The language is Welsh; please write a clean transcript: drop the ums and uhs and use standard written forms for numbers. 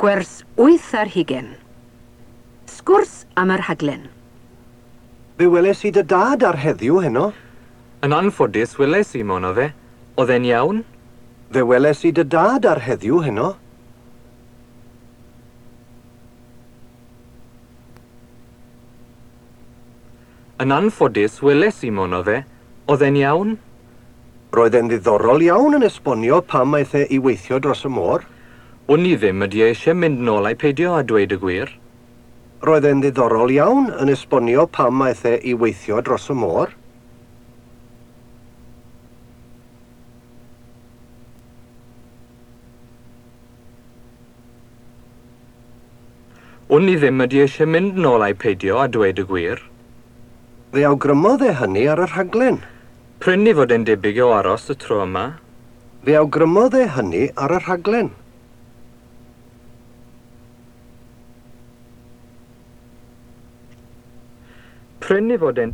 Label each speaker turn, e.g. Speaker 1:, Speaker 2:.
Speaker 1: Gwers 8. Sgwrs am y rhaglen.
Speaker 2: Fe weles i dy dad ar heddiw heno.
Speaker 3: Yn anffodus, weles i mono fe. Oedd e'n iawn?
Speaker 2: Fe weles i dy dad ar heddiw heno.
Speaker 3: Yn anffodus, weles i mono fe. Oedd e'n iawn?
Speaker 2: Roedd e'n ddiddorol iawn yn esbonio pam aeth e i weithio dros y môr.
Speaker 3: Wn i ddim ydy e eisiau mynd nôl ai peidio a dweud y gwir.
Speaker 2: Roedd e'n ddiddorol iawn yn esbonio pam aeth e i weithio dros y môr.
Speaker 3: Wn i ddim ydy eisiau mynd nôl ai peidio a dweud y gwir.
Speaker 2: Fe awgrymodd e hynny ar y rhaglen.
Speaker 3: Prin i fod e'n debyg o aros y tro yma.
Speaker 2: Fe awgrymodd e hynny ar y rhaglen.
Speaker 3: Prin i fod e'n